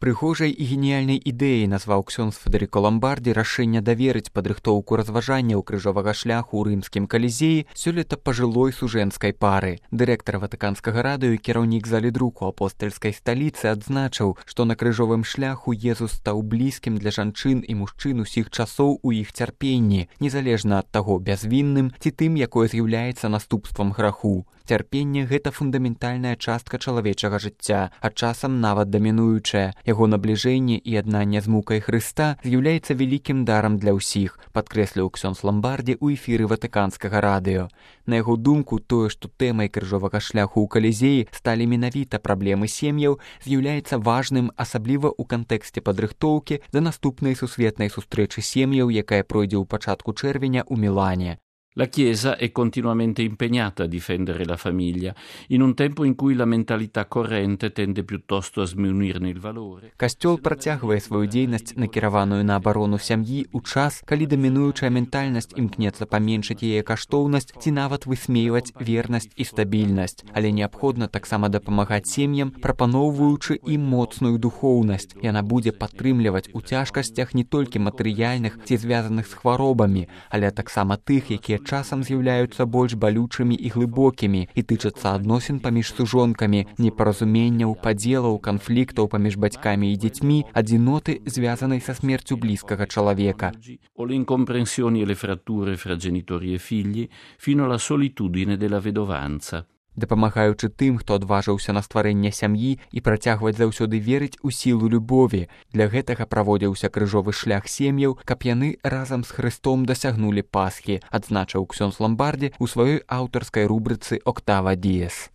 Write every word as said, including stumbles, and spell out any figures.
Прыгожай і геніяльнай ідэяй назваў ксёндз Федэрыко Ламбардзі рашэнне даверыць падрыхтоўку разважанняў крыжовага шляху ў рымскім калізеі сёлета пажылой сужэнскай пары. Дырэктар Ватыканскага радыё і кіраўнік залі друку апостальскай сталіцы адзначыў, што на крыжовым шляху Езус стаў блізкім для жанчын і мужчын усіх часоў у іх цярпенні, незалежна ад таго, бязвінным ці тым, якое з'яўляецца наступствам граху. Цярпенне – гэта фундаментальная частка чалавечага жыцця, а часам нават дамінуючая. Яго набліжэнне і яднанне з мукай Хрыста з'яўляецца вялікім дарам для ўсіх, падкрэсліў ксёндз Ламбардзі ў эфіры Ватыканскага радыё. На яго думку, тое, што тэмай крыжовага шляху ў калізеі сталі менавіта праблемы сем'яў, з'яўляецца важным, асабліва ў кантэксце падрыхтоўкі да наступнай сусветнай сустрэчы сем'яў, якая пройдзе ў пачатку чэрвеня ў Мілане. La Chiesa è continuamente impegnata a difendere la famiglia, in un tempo in cui la mentalità corrente tende piuttosto a sminuirne il valore. Касцёл працягвае сваю дзейнасць, накіраваную на абарону сям'і ў час, калі дамінуючая ментальнасць імкнецца паменшыць яе каштоўнасць ці нават высмейваць вернасць і стабільнасць. Але неабходна таксама дапамагаць сем'ям, прапаноўваючы ім моцную духоўнасць. Яна будзе падтрымліваць у цяжкасцях не толькі матэрыяльных ці звязаных з хваробамі, але таксама тых, якія часам з'яўляюцца больш балючымі і глыбокімі і тычацца адносін паміж сужонкамі, непаразуменняў, падзелаў, канфліктаў паміж бацькамі і дзецьмі, адзіноты, звязанай са смерцю блізкага чалавека. O le incomprensioni e le fratture fra genitori e figli, fino alla solitudine della vedovanza. Дапамагаючы тым, хто адважыўся на стварэнне сям'і і працягваць заўсёды верыць у сілу любові. Для гэтага праводзіўся крыжовы шлях сем'яў, каб яны разам з Хрыстом дасягнулі Пасхі, адзначыў ксёндз Ламбардзі ў сваёй аўтарскай рубрыцы «Октава Діес».